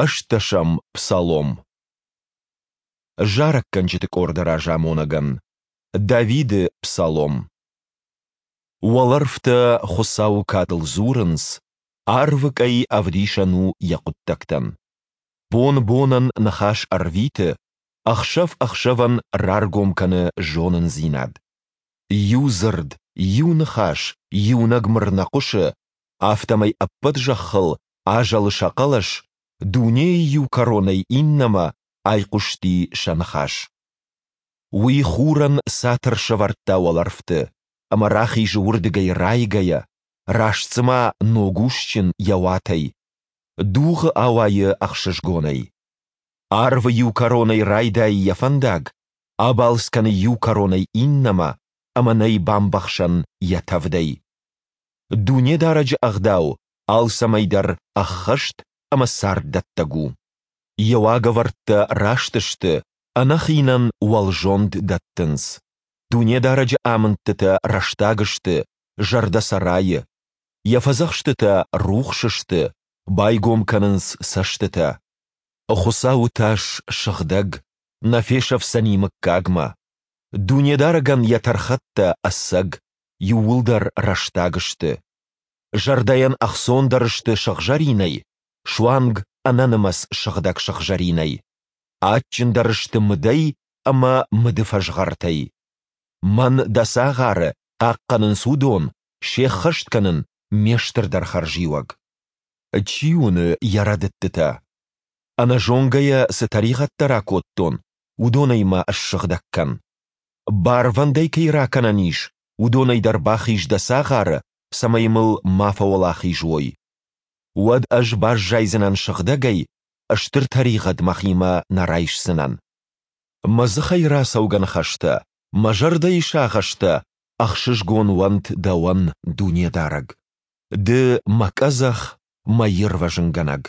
Ӕстдӕсӕм псалом. Зарӕггӕнджыты къорды разамонӕгӕн. Давиды псалом. Уӕлӕрвтӕ Хуыцауы кадыл дзурынц, арвы къӕй ӕвдисӕн у йӕ хъуыддӕгтӕн. Бон бонӕн ныхас ӕрвиты, ӕхсӕв ӕхсӕвӕн раргом кӕны зонындзинад. Иу дзырд, иу ныхас, иунӕг мыр нӕ хъуысы, афтӕмӕй ӕппӕт зӕххыл азӕлы сӕ хъӕлӕс, дунейы иу кӕронӕй иннӕмӕ айхъуысти сӕ ныхас. Уый хурӕн цатыр сӕвӕрдта уӕлӕрвты, ӕмӕ рахизы уырдыгӕй райгӕйӕ, раст цыма ног усджын йӕ уатӕй. Дугъы ауайы ӕхсызгонӕй. Арвы иу кӕронӕй райдайы йӕ фӕндаг, абалц кӕны иу кӕронӕй иннӕмӕ, ӕмӕ нӕй бамбӕхсӕн йӕ тӕвдӕй. Дунедарӕджы ӕгъдау алцӕмӕй дӕр ӕххӕст ӕмӕ царддӕттӕг у. Йӕ уагӕвӕрдтӕ раст сты, ӕнӕхинӕн уӕлзонд дӕттынц. Дунедарӕджы амындтытӕ рӕстаг сты, зӕрдӕ сӕ райы. Йӕ фӕдзӕхстытӕ рухс сты, байгом кӕнынц цӕстытӕ. Хуыцауы тас сыгъдӕг, нӕ фесӕфдзӕни мыггагмӕ. Дунедарӕгӕн йӕ тӕрхӕттӕ ӕцӕг, иууылдӕр рӕстаг сты. Зӕрдӕйӕн ӕхцондӕр сты сыгъзӕринӕй, суанг ӕнӕнымӕц сыгъдӕг сыгъзӕринӕй. Адджындӕр сты мыдӕй ӕмӕ мыды фӕзгъӕртӕй. Мӕн, дӕ цагъары, хъахъхъӕнынц уыдон, се ххӕст кӕнын ме стырдӕр хӕрзиуӕг. Чи уыны йӕ рӕдыдтытӕ? Ӕнӕзонгӕйӕ цы тӕригъӕдтӕ ракодтон, уыдонӕй мӕ ссыгъдӕг кӕн. Барвӕндӕй кӕй ракӕнӕн ис, уыдонӕй дӕр бахиз дӕ цагъары, цӕмӕй мыл ма фӕуӕлахиз уой. Уӕд ӕз баззайдзынӕн сыгъдӕгӕй, стыр тӕригъӕд мӕхимӕ нӕ райсдзынӕн. Мӕ дзыхӕй рацӕугӕ ныхӕстӕ, мӕ зӕрдӕйы сагъӕстӕ ӕхсызгон уӕнт дӕуӕн, Дунедарӕг. Ды мӕ къӕдзӕх, мӕ ирвӕзынгӕнӕг.